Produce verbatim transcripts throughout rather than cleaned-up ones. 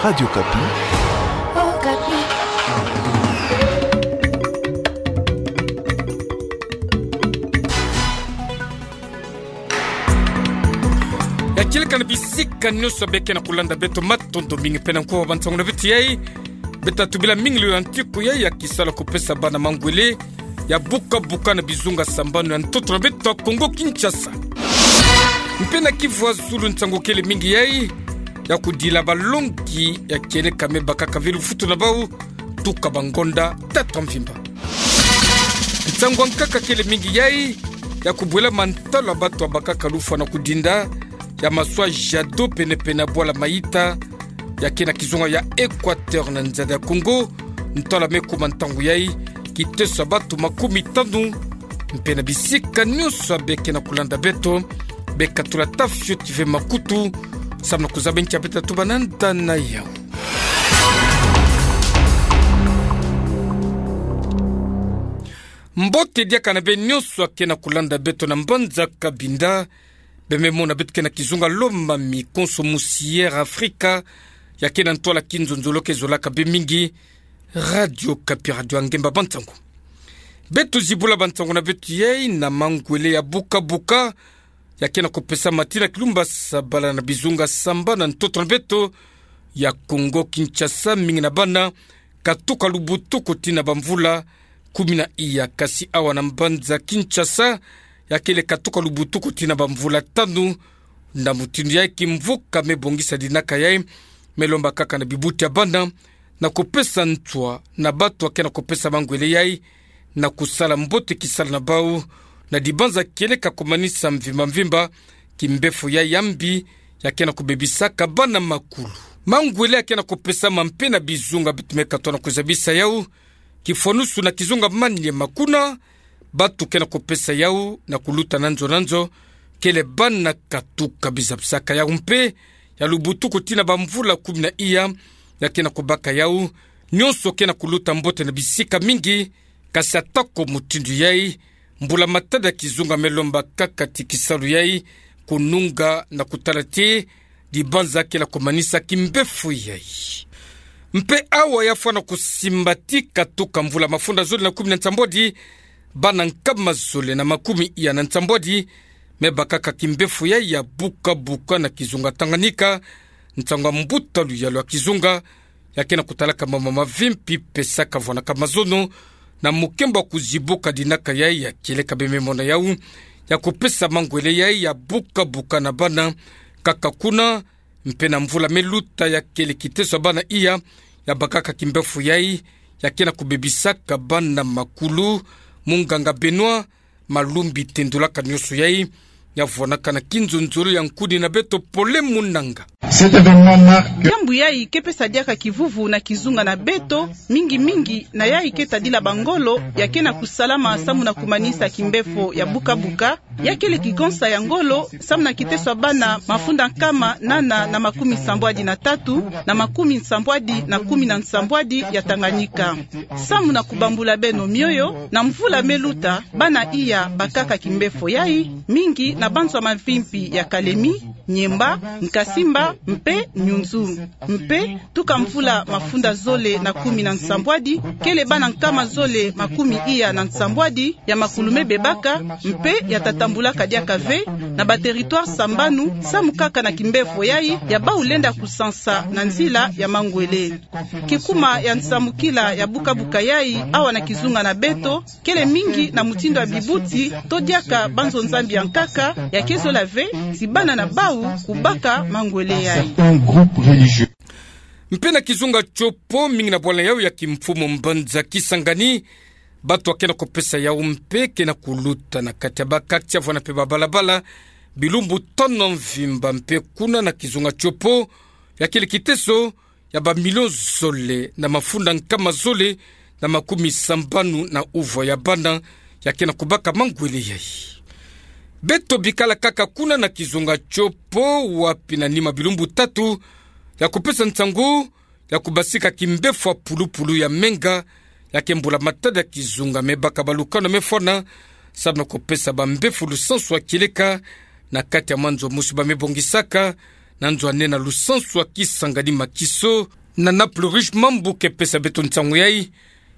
Radio Okapi. Okapi. Ya kieleka na bisika nyonso beke na kulanda beto, matondo mingi pene nkoa bansango na beto yai. Beta tubila mingi lo ya ntiku yai ya kisalu ya kupesa bana mangwele ya buka buka na bizunga sambanu ya ntoto na beto ya Kongo Kinshasa. Mpe na Kivu ya Zulu nsangu kele mingi yai ya kudila balongi ya kieleka me bakaka ve lufutu na bau tuka bangonda tatu ya mvimba. Nsangu ya nkaka kele mingi yai ya kubwela mantalo ya bato ya bakaka lufwa na kudinda ya maswa Jado pene pene ya bwala Maïta, ya ke na kizunga ya Équateur na nzada ya Congo, ntalo ya me kuma ntangu yai kiteso ya bato makumi tanu. Mpe na bisika nyonso beke na kulanda beto, beka tula tafioti ve makutu, samu na kuzaba nki ya beta tuba na nda na yau. Mbote diaka na beno nyonso ya ke na kulanda beto na mbanza Cabinda, bembe mona beto ke na kizunga Lomami konso musi Air Africa, ya ke na ntwala kinzonzolo ke zolaka be mingi, Radio Okapi, radio ya ngemba bansango. Beto zibula bansango na beto yai na mangwele ya buka buka, ya ke na kupesama tii na kilumba sabala na bizunga sambanu na ntoto na beto ya Kongo Kinshasa, mingi na bana katuka lubutuku tii na bamvula kumi na iya, kasi awa na mbanza Kinshasa, ya kele katuka lubutuku tii na bamvula tanu. Na mutindu yai kimvuka me bongisa dinaka yai, me lomba kaka na bibuti ya bana na kupesa nswa na bato ya ke na kupesa mangwele yai na kusala mbote kisalu na bau, na dibanza kieleka kumanisa mvimba mvimba kimbefo yai ya mbi, ya ke na kubebisaka bana makulu. Mangwele ya ke na kupesama mpe na bizunga beto me katoa na kuzabisa yau, kifwanusu na kizunga Maniema, kuna bato ke na kupesa yau na kuluta na nzo na nzo, kele bana katuka bizabisaka yau mpe ya lubutuku tii na bamvula kumi na iya, ya ke na kubaka yau. Nyonso ke na kuluta mbote na bisika mingi, kasi atako mutindu yai, mbula matadi ya kizunga me lomba kaka ti kisalu yai kununga na kutala ti dibanza ke na kumanisa kimbefo yai. Mpe awa ya fwana kusimba ti katuka mvula mafunda zole na kumi na nsambwadi, bana nkama zole na makumi iya na nsambwadi me bakaka kimbefo yai ya buka buka na kizunga Tanganyika, nsangu ya mbuta luyalu ya kizunga, ya ke na kutalaka mama mavimpi, pesaka vwanaka mazono na mukembo ya kuzibuka dinaka yai ya kieleka bembe mona yau, ya kupesa mangwele yai ya buka buka na bana kaka kuna. Mpe na mvula me luta ya kele kiteso ya bana iya ya bakaka kimbefo yai, ya ke na kubebisaka bana makulu. Munganga Benoît Malumbi tendulaka nyonso yai, ya vwanaka na kinzonzolo ya nkuni na beto Pole Munanga. Cet événement marque... Diambu yai ke pesa diaka kivuvu na kizunga na beto, mingi mingi na yai ke tadila bangolo ya ke na kusalama samu na kumanisa kimbefo ya buka buka. Ya kele kikonsa ya ngolo samu na kiteso ya bana mafunda nkama nana na makumi nsambwadi na tatu na makumi nsambwadi na kumi na nsambwadi ya Tanganyika. Samu na kubambula beno mioyo, na mvula me luta, bana iya bakaka kimbefo yai, mingi na banzo ya mavimpi ya Kalemi, Nyemba, Nkasimba mpe Nyunzu. Mpe tuka mvula mafunda zole na kumi na nsambwadi, kele bana nkama zole makumi iya na nsambwadi ya makulu me bebaka mpe ya tatambulaka diaka ve na ba territoires sambanu, samu kaka na kimbefo yai ya bau lenda kusansa na nzila ya mangwele. Kikuma ya nsamukila ya buka buka yai awa na kizunga na beto, kele mingi na mutindu ya bibuti to diaka banzo-Nzambi ya nkaka ya ke zola ve ti bana na bau kubaka mangwele yai. Certains groupes religieux. Mpe na kizunga Tshopo, mingi na bwala yau ya kimfumu mbanza Kisangani, bato ya ke na kupesa yau mpe ke na kuluta na kati ya ba quartiers, vwana mpe ba balabala, bilumbu tanu ya mvimba. Mpe kuna na kizunga Tshopo, ya kele kiteso ya ba millions zole na mafunda nkama zole na makumi sambanu na uvwa ya bana ya ke na kubaka mangwele yai. Beto bikala kaka kuna na kizunga Tshopo, wapi na nima bilumbu tatu ya kupesa nsangu ya kubasika kimbefo ya pulupulu ya menga, ya ke mbula matadi ya kizunga me baka balukano me fwana, samu na kupesa bambefo lusansu ya kieleka na kati ya manzo mosi ba me bongisaka na nzwanena lusansu ya Kisangani Makiso, na Naples Rouge Mambu ke pesa beto nsangu yai,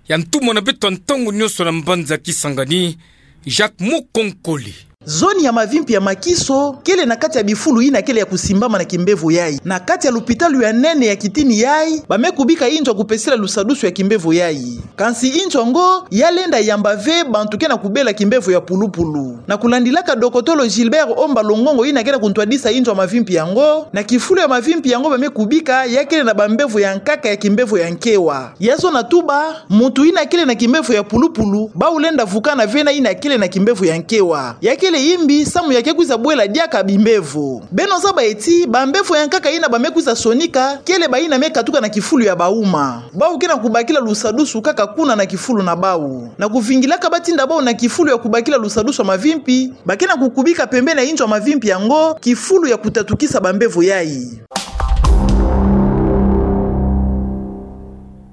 ya ntumwa na beto ya ntangu nyonso na mbanza Kisangani, Jacques Mukonkole. Zone ya Mavimpi ya Makiso kele na kati ya bifulu yina kele ya kusimbama na kimbevo yai. Na kati ya lupitalu ya nene ya kitini yai, bame kubika inzo ya kupesela lusadusu ya kimbevo yai. Kansi inzo yango ya lenda yamba ve bantu ke na kubela kimbevo ya pulupulu. Na kulandilaka dokotolo Gilbert Omba Longongo yina ke na kuntwadisa inzo ya Mavimpi yango, na kifulu ya Mavimpi yango bame kubika ya kele na bambevo ya nkaka ya kimbevo ya nkewa. Ya zona tuba, muntu yina kele na kimbevo ya pulupulu, bau lenda vukana ve na yina kele na kimbevo ya nkewa. Ya kele yimbi, samu ya ke kwiza bwela diaka bimbevo. Beno zaba eti, bambevo ya nkaka yina bame kwiza sonika, kele bayina me katuka na kifulu ya bauma. Bau ke na kubakila lusadusu kaka kuna na kifulu na bau. Na kuvingilaka batinda bau na kifulu ya kubakila lusadusu ya Mavimpi, ba ke na kukubika pembeni ya inzo ya Mavimpi yango, kifulu ya kutatukisa bambevo yai.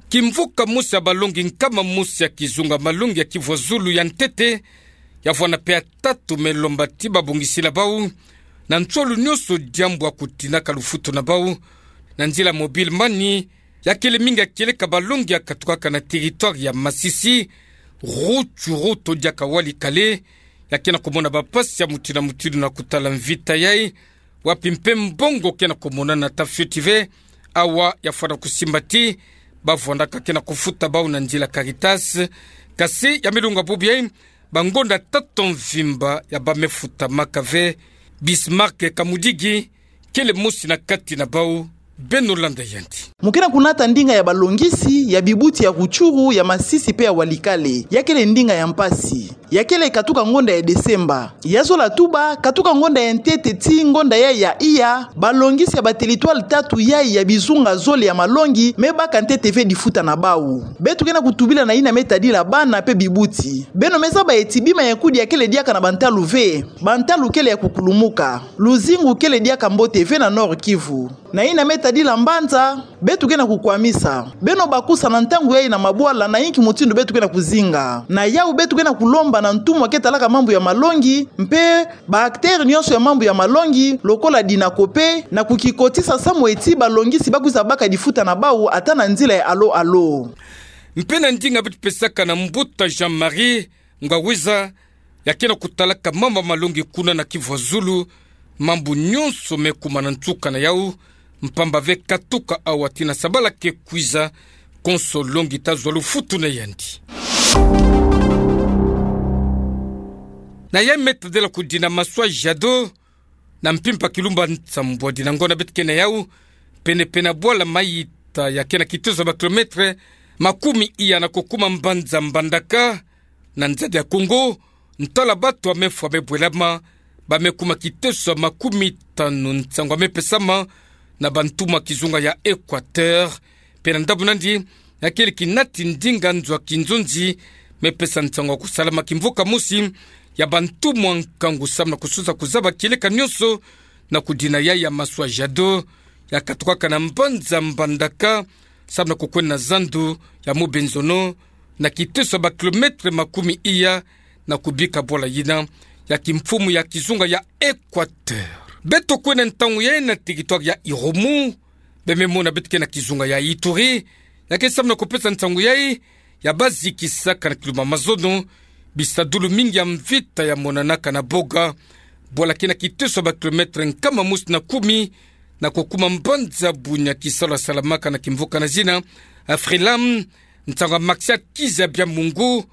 Kimvuka mosi ya balongi nkama mosi ya kizunga malongi ya Kivu ya Zulu ya ntete, ya vwanda mpe ya tatu me lomba ti babongisila bau, na nsolu nyonso diambu ya kutinaka lufutu na bau, na nzila mobile money, ya kele mingi ya kieleka balongi ya katukaka na territoire ya Masisi, Rutshuru to diaka Walikale, ya ke na kumona bampasi ya mutindu na mutindu na kutala mvita yai, wapi mpe mbongo ke na kumonana ta fioti ve, awa ya fwana kusimba ti, bavwandaka ke na kufuta bau na nzila Caritas, kasi ya me lunga bubu yai, bangonda tatu mvimba ya bame futamaka ve. Bismarck Kamudigi, kele mosi na kati na bau, beno landa yandi. Mu ke na kunata ndinga ya balongisi ya bibuti ya Rutshuru, ya Masisi mpe ya Walikale. Ya kele ndinga ya mpasi. Ya kele katuka ngonda ya Desemba. Ya zola tuba, katuka ngonda ya ntete tii ngonda ya ya iya, balongisi ya ba territoire tatu yai ya bizunga zole ya malongi, me baka ntete ve difuta na bau. Beto ke na kutubila na yina me tadila bana mpe bibuti. Beno me zaba eti bima ya kudi ya kele diaka na bantalu ve. Bantalu kele ya kukulumuka. Luzingu kele diaka mbote ve na Nord-Kivu. Na yina me tadila mbanza, beto ke na kukwamisa. Beno bakusa na ntangu yai na mabwala na yinki mutindu beto ke na kuzinga. Na yau beto ke na kulomba na ntumwa ke talaka mambu ya malongi, mpe ba acteurs nyonso ya mambu ya malongi, lokola DINACOPE, na kukikotisa samu eti balongisi bakwiza baka difuta na bau ata na nzila ya alo alo. Mpe na ndinga beto pesaka na mbuta Jean-Marie Ngwawiza, ya ke na kutalaka mambu ya malongi kuna na Kivu ya Zulu, mambu nyonso me kuma na nsuka na yau, mpamba ve katuka awa tii na sabala ke kwiza, konso longi ta zwa lufutu na yandi. Na yai me tadela kudina Maswa Jado, na mpimpa kilumba nsambwadi na ngonda beto ke na yau, pene-pene ya bwala Mayita ya ke na kiteso ya ba kilomètre makumi iya na kokuma mbanza Mbandaka, na nzadi ya Kongo, ntwala bato ya mefwa me bwelama, ba me kuma kiteso ya makumi tanu nsangu ya me pesama na bantumwa kizunga ya Equateur, mpe na ndambu nandi, ya kele kinati ndinga nzo ya kinzonzi, me pesa nsangu ya kusalama kimvuka mosi ya bantumwa nkangu samu na kususa kuzaba kieleka nyonso, na kudina yai ya Maswa Jado, ya katukaka na mbanza Mbandaka, samu na kukwenda na zandu ya Mobenzono, na kiteso ya ba kilomètre makumi iya, na kubika bwala yina ya kimfumu ya kizunga ya Equateur. Beto kwenda ntangu yai na territoire ya Irumu, beno me mona beto ke na kizunga ya Ituri, ya ke samu na kupesa nsangu yai ya bazikisaka na kilumbu ya mazono bisadulu mingi ya mvita ya monanaka na Boga, bwala ke na kiteso ya ba kilomètre nkama mosi na kumi, na kokuma mbanza Bunia, kisalu ya salamaka na kimvuka na zina Afrilam. Nsangu ya Maxiat Kizabia Mungu,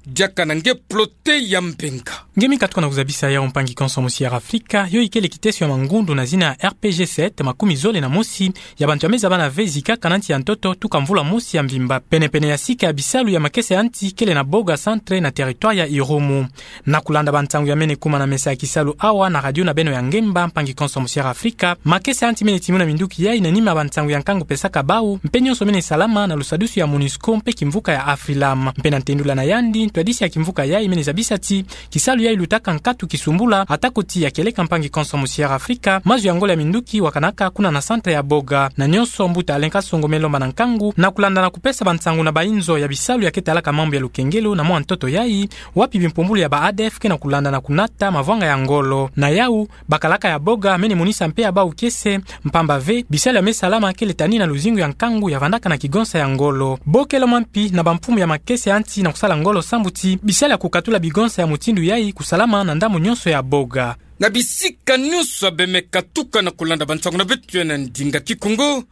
diaka na nge Plote ya Mbenga. Nge mi katuka na kuzabisa yau, mpangi konso mosi ya Afrika, yo ikele kiteso ya mangundu na zina R P G sept, makumi zole na mosi ya bantu ya me zabana ve zikaka na nsi ya ntoto tuka mvula mosi ya mvimba. Pene-pene ya sika ya bisalu ya makesa ya nsi kele na Boga Centre na territoire ya Irumu. Na kulanda bansangu ya mene kuma na mesa ya kisalu awa na radio na beno ya ngemba, mpangi konso mosi ya Afrika, makesa ya nsi mene timuna minduki yai na nima ya bansangu ya nkangu pesaka bau, mpe nyonso mene salama na lusadusu ya Monusco mpe kimvuka ya Afrilam. Mpe na ntendula na yandi, Ntwadisi ya kimvuka yai mene zabisati kisalu yai lutaka nkatu kisumbula, atako ti ya kieleka mpangi konso mu Sierra Afrika, mazu ya ngolo ya minduki wakanaka kuna na centre ya Boga. Na nyonso mbuta Alain Kasongo me lomba na nkangu na kulanda na kupesa bansangu na bayinzo ya bisalu ya ketalaka mambu ya lukengelo na mwa ntoto yai, wapi bimpumbulu ya ba ADF ke na kulanda na kunata mavwanga ya ngolo. Na yau, bakalaka ya Boga mene monisa mpe ya bau kiese, mpamba ve, bisalu ya me salama kele tani na luzingu ya nkangu ya vandaka na kigonsa ya ngolo. Bokelo mampi na bamfumu ya makese ya nsi na kusala ngolo sambu ti bisalu ya kukatula bigonsa ya mutindu yai kusalama na ndambu nyonso ya Boga. Na bisika nyonso ya bemeka tuka na kulanda bansangu na beto ya na ndinga Kikongo,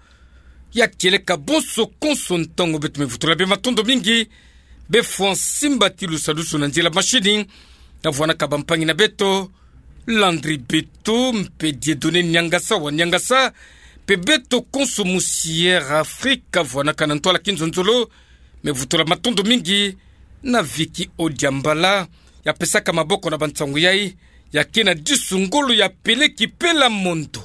ya kieleka bonso konso ntangu beto me vutula bima matondo mingi, be fwa nsimbati lusadusu na nzila mashini, na vwanaka bampangi na beto, Landry Beto, mpe Dieudonné Niangasa wa Niangasa, mpe beto konso mu Sierra Afrika vwanaka na ntwala kinzonzolo, me vutula matondo mingi na Vicky Odiambala, ya pesaka maboko na bansangu yai, ya ke na disu ngolo ya peleki pela mondo.